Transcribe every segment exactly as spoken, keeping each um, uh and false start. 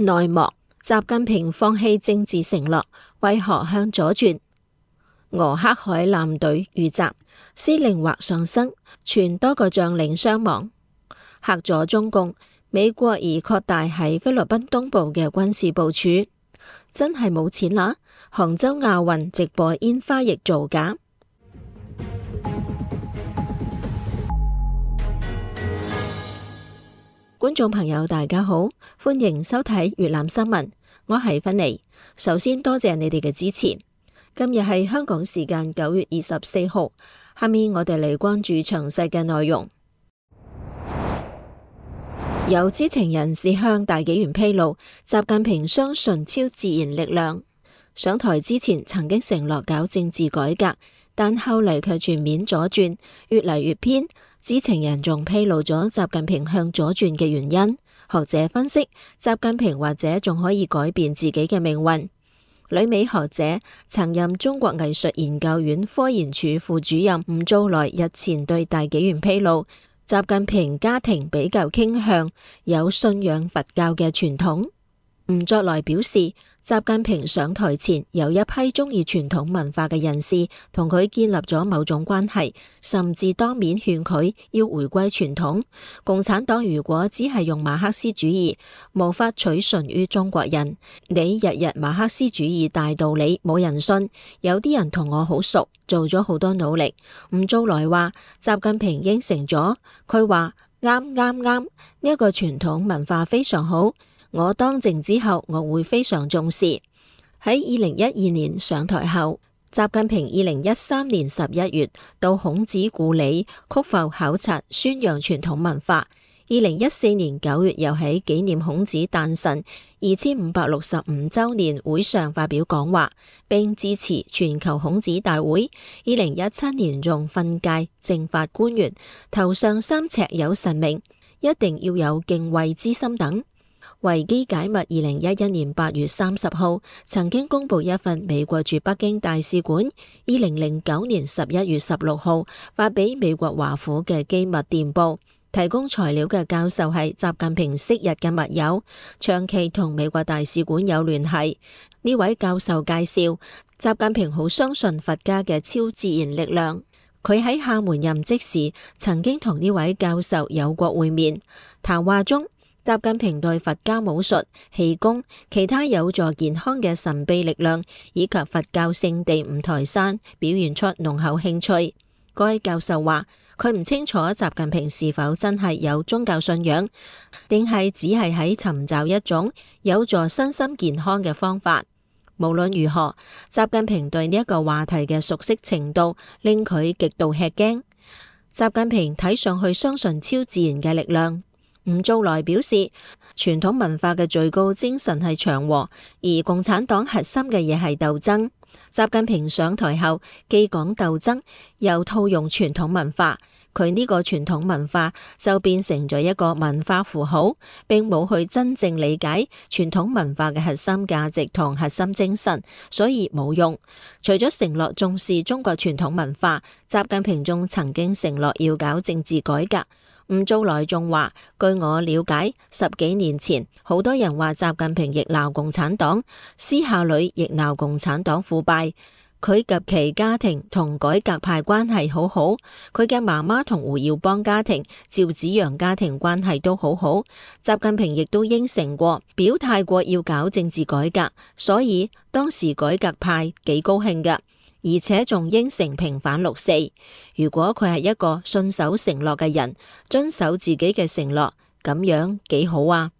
內幕：習近平放棄政治承諾，為何向左轉？俄黑海艦隊遇襲，司令或喪生，傳多個將領傷亡。嚇咗中共，美國而擴大喺菲律賓東部嘅軍事部署。真係冇錢啦！杭州亞運直播煙花亦造假。觀眾朋友大家好，歡迎收睇粵覽新聞，我係芬妮。首先多謝你哋嘅支持。今日係香港時間九月二十四號，下面我哋嚟關注詳細嘅內容。有知情人士向大紀元披露，習近平相信超自然力量。上台之前曾經承諾搞政治改革，但後嚟卻全面左轉，越嚟越偏。知情人仲披露咗習近平向左轉嘅原因。學者分析，習近平或者仲可以改變自己嘅命運。旅美學者、曾任中國藝術研究院科研處副主任吳祖來日前對大紀元披露，習近平家庭比較傾向有信仰佛教嘅傳統。吳祖來表示，習近平上台前有一批中意傳統文化嘅人士同佢建立咗某種關係，甚至當面勸佢要回歸傳統。共產黨如果只係用馬克思主義，無法取信於中國人。你日日馬克思主義大道理冇人信，有啲人同我好熟，做咗好多努力。吳祖來話，習近平應承咗，佢話啱啱啱，呢一個傳統文化非常好。我當政之後，我會非常重視。喺二零一二年上台後，習近平二零一三年十一月到孔子故里曲阜考察，宣揚傳統文化。二零一四年九月又喺紀念孔子誕辰二千五百六十五周年會上發表講話，並支持全球孔子大會。二零一七年仲訓誡政法官員頭上三尺有神明，一定要有敬畏之心等。維基解密二零一一年八月三十號曾經公布一份美國駐北京大使館二零零九年十一月十六號發俾美國華府嘅機密電報，提供材料嘅教授係習近平昔日嘅密友，長期同美國大使館有聯繫。呢位教授介紹，習近平好相信佛家嘅超自然力量。佢喺廈門任職時曾經同呢位教授有過會面，談話中，習近平對佛家武術、氣功、其他有助健康嘅神秘力量以及佛教聖地五台山表現出濃厚興趣。該教授話，佢唔清楚習近平是否真係有宗教信仰，定係只係喺尋找一種有助身心健康嘅方法。無論如何，習近平對呢一個話題嘅熟悉程度令佢極度吃驚。習近平睇上去相信超自然嘅力量。吳祖來表示，傳統文化嘅最高精神係祥和，而共產黨核心嘅嘢係鬥爭。習近平上台後，既講鬥爭，又套用傳統文化，佢呢個傳統文化就變成咗一個文化符號，並冇去真正理解傳統文化嘅核心價值同核心精神，所以冇用。除咗承諾重視中國傳統文化，習近平仲曾經承諾要搞政治改革。吳祖來仲話，據我了解，十幾年前好多人話習近平亦鬧共產黨，私下裏亦鬧共產黨腐敗。佢及其家庭同改革派關係好好，佢嘅媽媽同胡耀邦家庭、趙紫陽家庭關係都好好。習近平亦都應承過、表態過要搞政治改革，所以當時改革派幾高興㗎。而且仲應承平反六四。如果佢係一個信守承諾嘅人，遵守自己嘅承諾，咁樣幾好啊！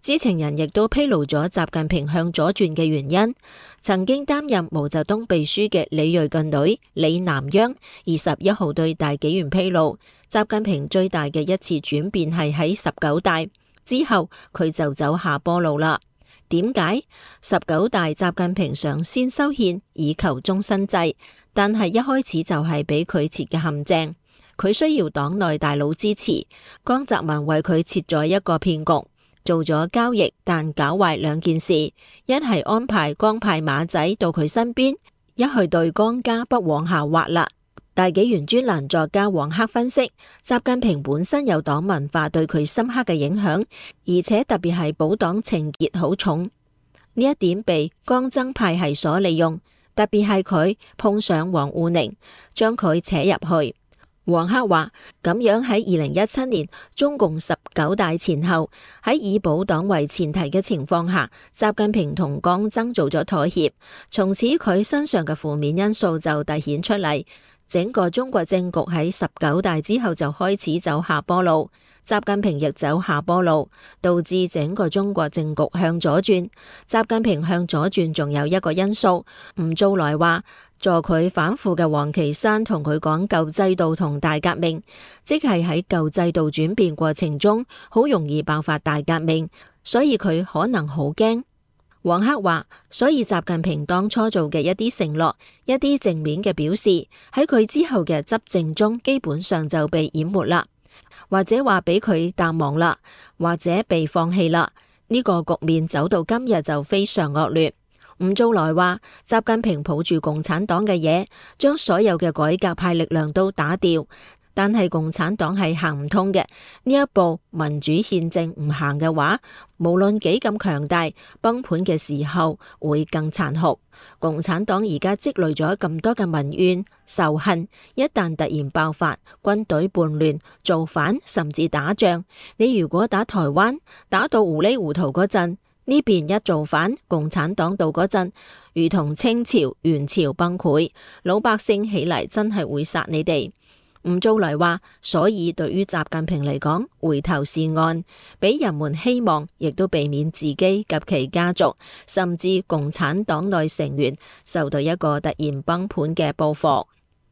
知情人亦都披露咗習近平向左轉嘅原因。曾經擔任毛澤東秘書嘅李銳嘅女李南央二十一號對大紀元披露，習近平最大嘅一次轉變係喺十九大之後，佢就走下坡路啦。點解？十九大習近平想先修憲以求終身制，但係一開始就係俾佢設嘅陷阱。佢需要黨內大佬支持，江澤民為佢設咗一個騙局，做咗交易，但搞壞兩件事：一係安排江派馬仔到佢身邊，一係對江家不往下滑啦。大紀元專欄作家黃克分析，習近平本身有黨文化對佢深刻嘅影響，而且特別係保黨情結好重，呢一點被江增派系所利用，特別係佢碰上王滬寧，將佢扯入去。黃克話咁樣喺二零一七年中共十九大前後，喺以保黨為前提嘅情況下，習近平同江增做咗妥協，從此佢身上嘅負面因素就凸顯出嚟。整個中國政局喺十九大之後就開始走下坡路，習近平亦走下坡路，導致整個中國政局向左轉。習近平向左轉仲有一個因素，吳藻來話助佢反腐嘅王岐山同佢講舊制度同大革命，即係喺舊制度轉變過程中好容易爆發大革命，所以佢可能好驚。黃克話，所以習近平當初做嘅一啲承諾、一啲正面嘅表示，喺佢之後嘅執政中基本上就被淹沒啦，或者話俾佢淡忘啦，或者被放棄啦。呢個局面走到今日就非常惡劣。吳藻來話，習近平抱住共產黨嘅嘢，將所有嘅改革派力量都打掉。但係共產黨係行唔通嘅，呢一步民主憲政唔行嘅話，無論幾咁強大，崩盤嘅時候會更殘酷。共產黨而家積累咗咁多嘅民怨仇恨，一旦突然爆發，軍隊叛亂、造反甚至打仗，你如果打台灣打到糊裡糊塗嗰陣，呢邊一造反，共產黨到嗰陣，如同清朝、元朝崩潰，老百姓起嚟真係會殺你哋。吳藻來話，所以對於習近平嚟講，回頭是岸，俾人們希望，亦都避免自己及其家族，甚至共產黨內成員受到一個突然崩盤嘅報復。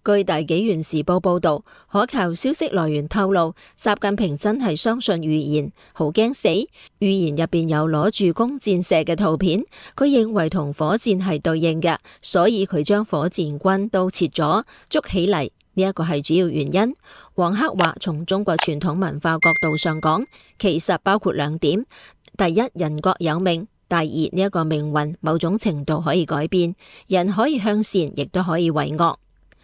據大紀元時報報道，可靠消息來源透露，習近平真係相信預言，好驚死。預言入邊有攞住弓箭射嘅圖片，佢認為同火箭係對應嘅，所以佢將火箭軍都切咗，捉起嚟。呢一個係主要原因。黃克話，從中國傳統文化角度上講，其實包括兩點：第一，人各有命；第二，呢一個命運某種程度可以改變，人可以向善，亦都可以為惡。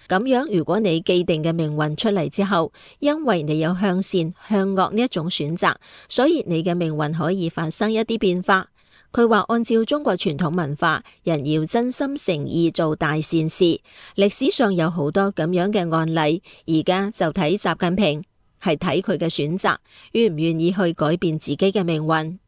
咁樣，如果你既定嘅命運出嚟之後，因為你有向善向惡呢一種選擇，所以你嘅命運可以發生一啲變化。佢話按照中國傳統文化，人要真心誠意做大善事。歷史上有好多咁樣嘅案例，而家就睇習近平，係睇佢嘅選擇，願唔願意去改變自己嘅命運。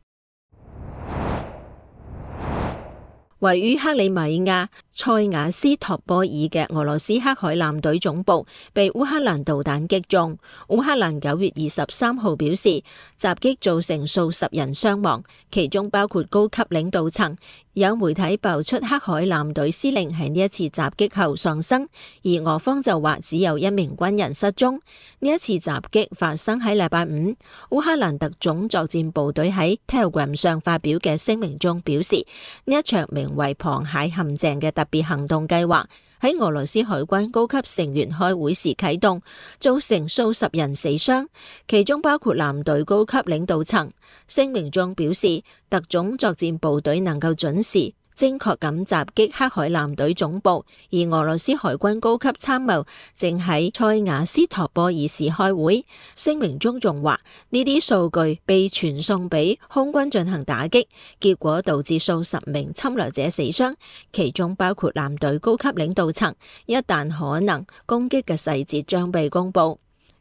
位於克里米亞塞瓦斯托波爾嘅俄羅斯黑海艦隊總部被烏克蘭導彈擊中。烏克蘭九月二十三號表示，襲擊造成數十人傷亡，其中包括高級領導層。有媒體爆出黑海艦隊司令喺呢一次襲擊後喪生，而俄方就話只有一名軍人失蹤。呢一次襲擊發生喺禮拜五。烏克蘭特種作戰部隊喺 Telegram 上發表嘅聲明中表示，呢一場名為螃蟹陷阱嘅特別行動計劃喺俄羅斯海軍高級成員開會時啟動，造成數十人死傷，其中包括艦隊高級領導層。聲明中表示，特種作戰部隊能夠準時精確咁襲擊黑海艦隊總部，而俄羅斯海軍高級參謀正喺塞瓦斯托波爾市開會。聲明中仲話，呢啲數據被傳送俾空軍進行打擊，結果導致數十名侵略者死傷，其中包括艦隊高級領導層。一旦可能攻擊嘅細節將被公布。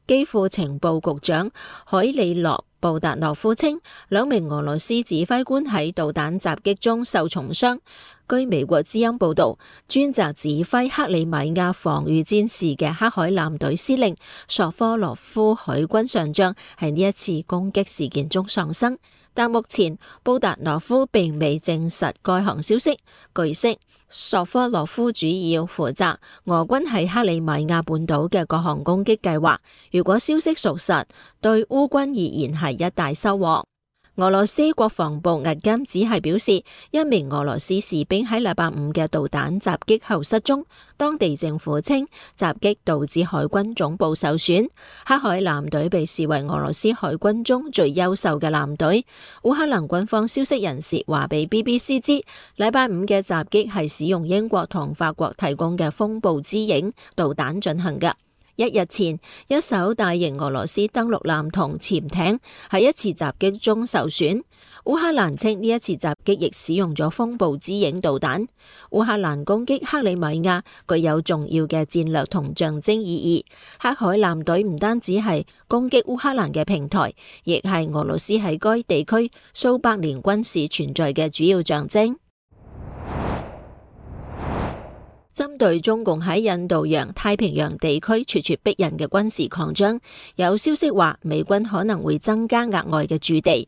基輔情報局長海利諾布達諾夫稱，兩名俄羅斯指揮官喺導彈襲擊中受重傷。據美國之音報道，專責指揮克里米亞防禦戰事嘅黑海艦隊司令索科洛夫海軍上將喺呢一次攻擊事件中喪生，但目前布達諾夫並未證實該項消息。據悉，索科洛夫主要負責俄軍喺克里米亞半島嘅各項攻擊計劃。如果消息屬實，對烏軍而言係一大收穫。俄羅斯國防部日間只係表示，一名俄羅斯士兵喺禮拜五嘅導彈襲擊後失蹤。當地政府稱，襲擊導致海軍總部受損。黑海艦隊被視為俄羅斯海軍中最優秀嘅艦隊。烏克蘭軍方消息人士話俾 B B C 知，禮拜五嘅襲擊係使用英國同法國提供嘅風暴之影導彈進行嘅。一日前，一艘大型俄羅斯登陸艦同潛艇喺一次襲擊中受損。烏克蘭稱呢一次襲擊亦使用咗風暴之影導彈。烏克蘭攻擊克里米亞具有重要嘅戰略同象徵意義。黑海艦隊唔單止係攻擊烏克蘭嘅平台，亦係俄羅斯喺該地區數百年軍事存在嘅主要象徵。針對中共喺印度洋、太平洋地區咄咄逼人嘅軍事擴張，有消息話美軍可能會增加額外嘅駐地，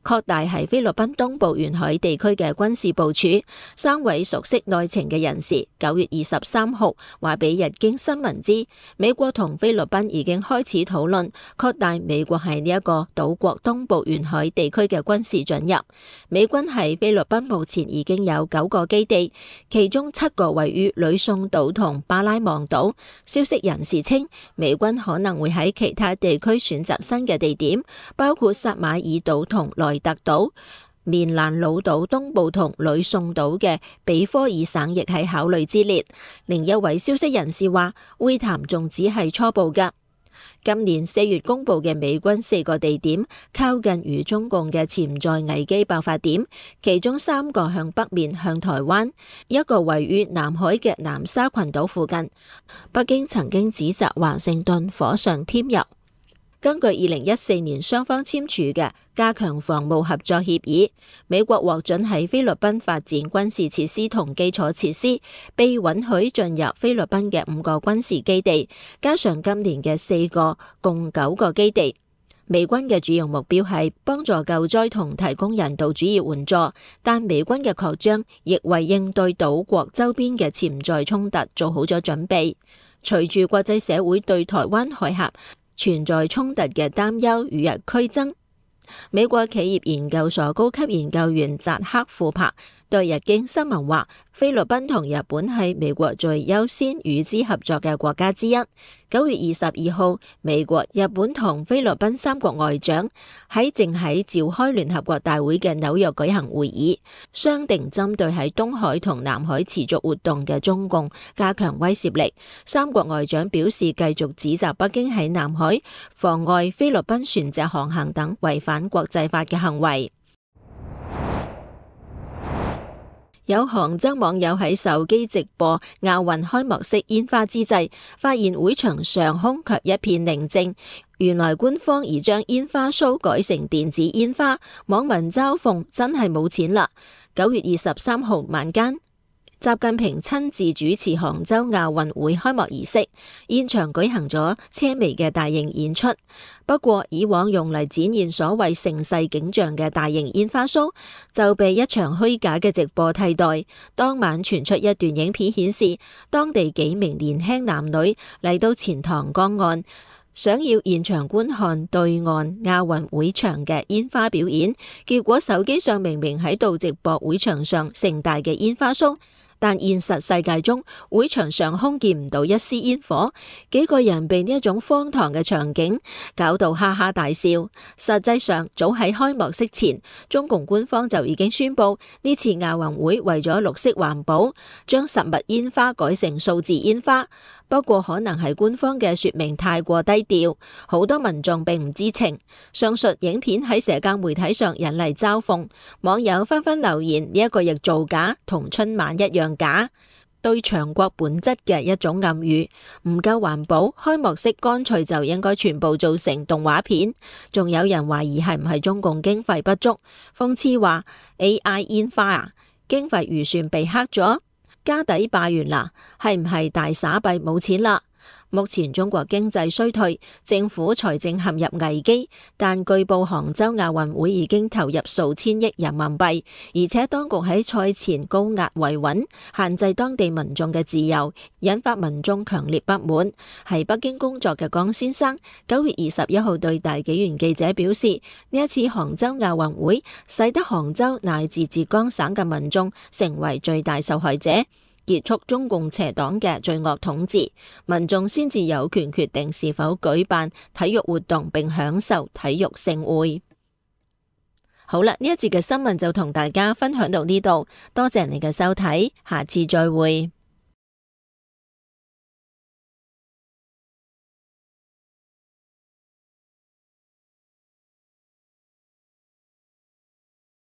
擴大喺菲律賓東部沿海地區嘅軍事部署。三位熟悉內情嘅人士九月二十三號話俾日經新聞知，美國同菲律賓已經開始討論擴大美國喺呢一個島國東部沿海地區嘅軍事進入。美軍喺菲律賓目前已經有九個基地，其中七個位於呂宋島同巴拉望島。消息人士稱，美軍可能會喺其他地區選擇新嘅地點，包括薩馬爾島同萊特島。棉蘭老島東部同呂宋島嘅比科爾省亦喺考慮之列。另一位消息人士話，會談仲只係初步㗎。今年四月公布嘅美軍四個地點靠近與中共嘅潛在危機爆發點，其中三個向北面向台灣，一個位於南海嘅南沙群島附近。北京曾經指責華盛頓火上添油。根據二零一四年雙方簽署嘅加強防務合作協議，美國獲准喺菲律賓發展軍事設施同基礎設施，被允許進入菲律賓嘅五個軍事基地，加上今年嘅四個，共九個基地。美軍嘅主要目標係幫助救災同提供人道主義援助，但美軍嘅擴張亦為應對島國周邊嘅潛在衝突做好咗準備。隨住國際社會對台灣海峽存在衝突嘅擔憂與日俱增，美國企業研究所高級研究員扎克庫珀對日經新聞話，菲律賓同日本係美國最優先與之合作嘅國家之一。九月二十二號，美國、日本同菲律賓三國外長喺正喺召開聯合國大會嘅紐約舉行會議，商定針對喺東海同南海持續活動嘅中共加強威懾力。三國外長表示，繼續指責北京喺南海妨礙菲律賓船隻航行等違反國際法嘅行為。有杭州網友喺手機直播亞運開幕式煙花之際，發現會場上空卻一片寧靜。原來官方已將煙花 show 改成電子煙花，網民嘲諷真係冇錢啦。九月二十三號晚間，習近平親自主持杭州亞運會開幕儀式，現場舉行咗車眉嘅大型演出。不過，以往用嚟展現所謂盛世景象嘅大型煙花 show 就被一場虛假嘅直播替代。當晚傳出一段影片顯示，當地幾名年輕男女嚟到錢塘江岸，想要現場觀看對岸亞運會場嘅煙花表演，結果手機上明明喺度直播會場上盛大嘅煙花 show。但現實世界中，會場上空見唔到一絲煙火，幾個人被呢一種荒唐嘅場景搞到哈哈大笑。實際上，早喺開幕式前，中共官方就已經宣布呢次亞運會為咗綠色環保，將實物煙花改成數字煙花。不過可能係官方嘅說明太過低調，好多民眾並唔知情。上述影片喺社交媒體上引嚟嘲諷，網友紛紛留言呢一個亦造假，同春晚一樣假，對強國本質嘅一種暗語。唔夠環保，開幕式乾脆就應該全部做成動畫片。仲有人懷疑係唔係中共經費不足，諷刺話 A I 煙花啊，經費預算被黑咗。家底霸完啦，係唔係大撒幣冇錢啦？目前中國經濟衰退，政府財政陷入危機，但據報杭州亞運會已經投入數千億人民幣，而且當局喺賽前高壓維穩，限制當地民眾嘅自由，引發民眾強烈不滿。喺北京工作嘅江先生九月二十一號對大紀元記者表示，呢一次杭州亞運會使得杭州乃至浙江省嘅民眾成為最大受害者。結束中共邪黨嘅罪惡統治，民眾先至有權決定是否舉辦體育活動並享受體育盛會。好啦，呢一節嘅新聞就同大家分享到呢度，多謝你嘅收睇，下次再會。